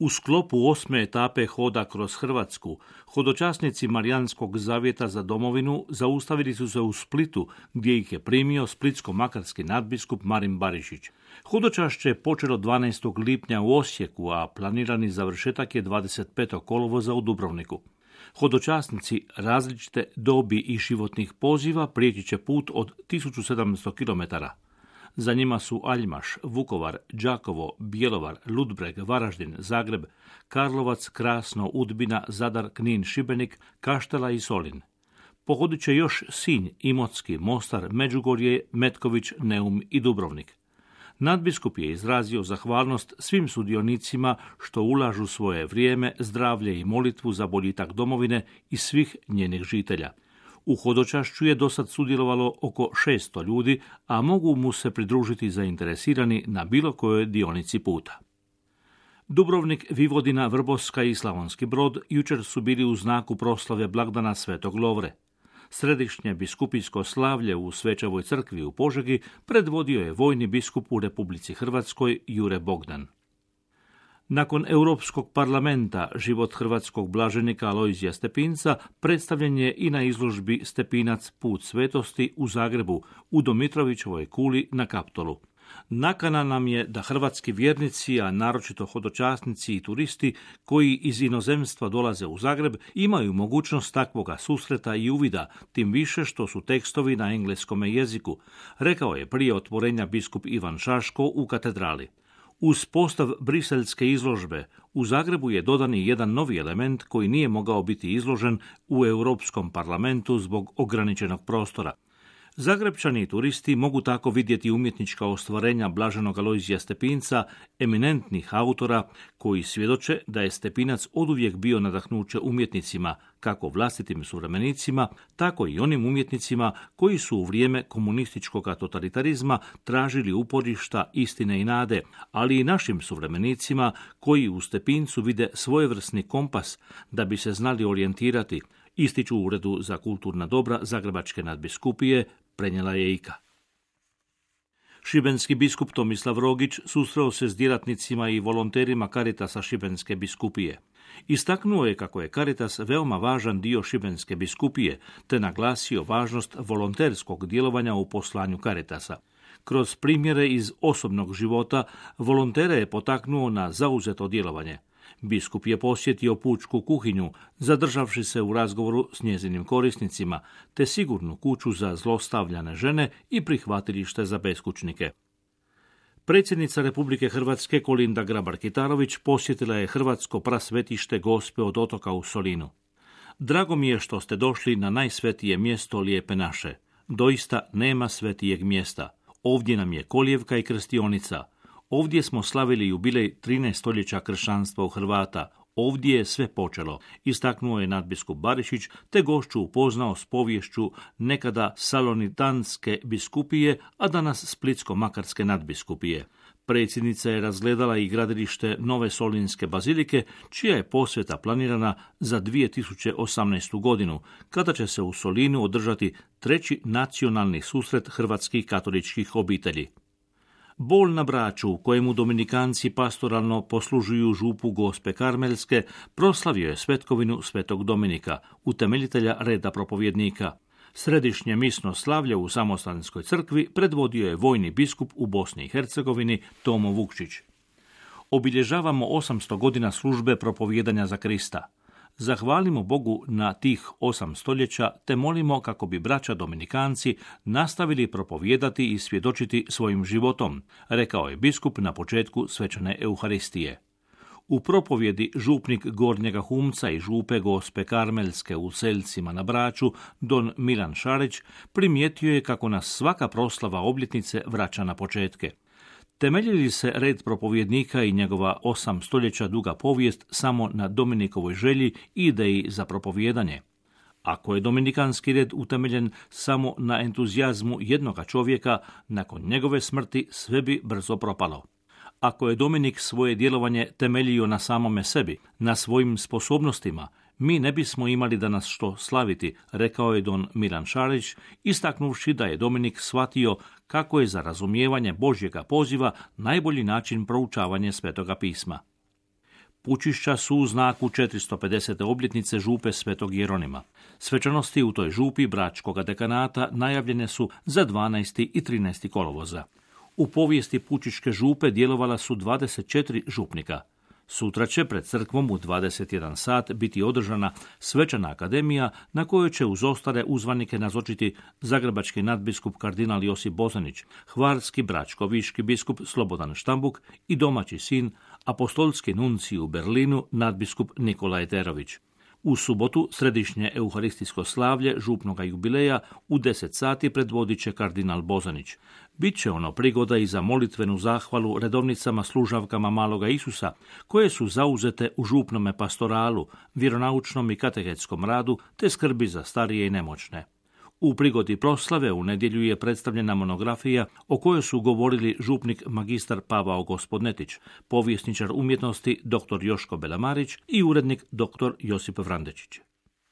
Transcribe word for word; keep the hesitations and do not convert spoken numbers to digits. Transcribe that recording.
U sklopu osme etape hoda kroz Hrvatsku, hodočasnici Marijanskog zavjeta za domovinu zaustavili su se u Splitu, gdje ih je primio splitsko-makarski nadbiskup Marin Barišić. Hodočašće je počelo dvanaestog lipnja u Osijeku, a planirani završetak je dvadeset petog kolovoza u Dubrovniku. Hodočasnici različite dobi i životnih poziva prijeći će put od tisuću sedamsto kilometara. Za njima su Aljmaš, Vukovar, Đakovo, Bjelovar, Ludbreg, Varaždin, Zagreb, Karlovac, Krasno, Udbina, Zadar, Knin, Šibenik, Kaštela i Solin. Pohodit će još Sinj, Imotski, Mostar, Međugorje, Metković, Neum i Dubrovnik. Nadbiskup je izrazio zahvalnost svim sudionicima što ulažu svoje vrijeme, zdravlje i molitvu za boljitak domovine i svih njenih žitelja. U hodočašću je dosad sudjelovalo oko šesto ljudi, a mogu mu se pridružiti zainteresirani na bilo kojoj dionici puta. Dubrovnik, Vivodina, Vrboska i Slavonski Brod jučer su bili u znaku proslave blagdana Svetog Lovre. Središnje biskupijsko slavlje u Svečevoj crkvi u Požegi predvodio je vojni biskup u Republici Hrvatskoj Jure Bogdan. Nakon Europskog parlamenta život hrvatskog blaženika Alojzija Stepinca predstavljen je i na izložbi Stepinac put svetosti u Zagrebu u Domitrovićevoj kuli na Kaptolu. Nakana nam je da hrvatski vjernici, a naročito hodočasnici i turisti koji iz inozemstva dolaze u Zagreb, imaju mogućnost takvoga susreta i uvida, tim više što su tekstovi na engleskome jeziku, rekao je prije otvorenja biskup Ivan Šaško u katedrali. Uz postav briselske izložbe, u Zagrebu je dodan i jedan novi element koji nije mogao biti izložen u Europskom parlamentu zbog ograničenog prostora. Zagrebčani i turisti mogu tako vidjeti umjetnička ostvarenja blaženog Alojzija Stepinca, eminentnih autora koji svjedoče da je Stepinac oduvijek bio nadahnuće umjetnicima, kako vlastitim suvremenicima, tako i onim umjetnicima koji su u vrijeme komunističkog totalitarizma tražili uporišta istine i nade, ali i našim suvremenicima koji u Stepincu vide svojevrsni kompas da bi se znali orijentirati, ističu u Uredu za kulturna dobra Zagrebačke nadbiskupije, prenijela je I K A. Šibenski biskup Tomislav Rogić susreo se s djelatnicima i volonterima Caritasa Šibenske biskupije. Istaknuo je kako je Caritas veoma važan dio Šibenske biskupije, te naglasio važnost volonterskog djelovanja u poslanju Caritasa. Kroz primjere iz osobnog života, volontere je potaknuo na zauzeto djelovanje. Biskup je posjetio pučku kuhinju, zadržavši se u razgovoru s njezinim korisnicima, te sigurnu kuću za zlostavljane žene i prihvatilište za beskućnike. Predsjednica Republike Hrvatske Kolinda Grabar-Kitarović posjetila je Hrvatsko prasvetište Gospe od Otoka u Solinu. Drago mi je što ste došli na najsvetije mjesto Lijepe naše. Doista nema svetijeg mjesta. Ovdje nam je kolijevka i krstionica. Ovdje smo slavili jubilej trinaest stoljeća kršćanstva u Hrvata. Ovdje je sve počelo, istaknuo je nadbiskup Barišić, te gošću upoznao s poviješću nekada salonitanske biskupije, a danas splitsko-makarske nadbiskupije. Predsjednica je razgledala i gradilište Nove Solinske bazilike, čija je posveta planirana za dvije tisuće osamnaestu godinu, kada će se u Solinu održati treći nacionalni susret hrvatskih katoličkih obitelji. Bol na Braču, u kojemu dominikanci pastoralno poslužuju župu Gospe Karmelske, proslavio je svetkovinu Svetog Dominika, utemeljitelja reda propovjednika. Središnje misno slavlje u Samostanskoj crkvi predvodio je vojni biskup u Bosni i Hercegovini Tomo Vukčić. Obilježavamo osamsto godina službe propovjedanja za Krista. Zahvalimo Bogu na tih osam stoljeća, te molimo kako bi braća dominikanci nastavili propovijedati i svjedočiti svojim životom, rekao je biskup na početku svečane Euharistije. U propovjedi župnik Gornjega Humca i župe Gospe Karmelske u Selcima na Braču, don Milan Šarić, primijetio je kako nas svaka proslava obljetnice vraća na početke. Temelji li se red propovjednika i njegova osam stoljeća duga povijest samo na Dominikovoj želji i ideji za propovijedanje? Ako je dominikanski red utemeljen samo na entuzijazmu jednoga čovjeka, nakon njegove smrti sve bi brzo propalo. Ako je Dominik svoje djelovanje temeljio na samome sebi, na svojim sposobnostima, mi ne bismo imali danas što slaviti, rekao je don Milan Šarić, istaknuvši da je Dominik shvatio kako je za razumijevanje Božjega poziva najbolji način proučavanje Svetoga pisma. Pučišća su u znaku četiristo pedesete obljetnice župe Svetog Jeronima. Svečanosti u toj župi Bračkoga dekanata najavljene su za dvanaesti i trinaesti kolovoza. U povijesti Pučiške župe djelovala su dvadeset četiri župnika. Sutra će pred crkvom u dvadeset jedan sat biti održana svečana akademija na kojoj će uz ostale uzvanike nazočiti zagrebački nadbiskup kardinal Josip Bozanić, hvarski bračkoviški biskup Slobodan Štambuk i domaći sin, apostolski nuncij u Berlinu, nadbiskup Nikola Eterović. U subotu središnje euharistijsko slavlje župnoga jubileja u deset sati predvodit će kardinal Bozanić. Biće ono prigoda i za molitvenu zahvalu redovnicama služavkama Maloga Isusa, koje su zauzete u župnome pastoralu, vjeronaučnom i katehetskom radu te skrbi za starije i nemoćne. U prigodi proslave u nedjelju je predstavljena monografija o kojoj su govorili župnik magistar Pavao Gospodnetić, povjesničar umjetnosti dr. Joško Belamarić i urednik dr. Josip Vrandečić.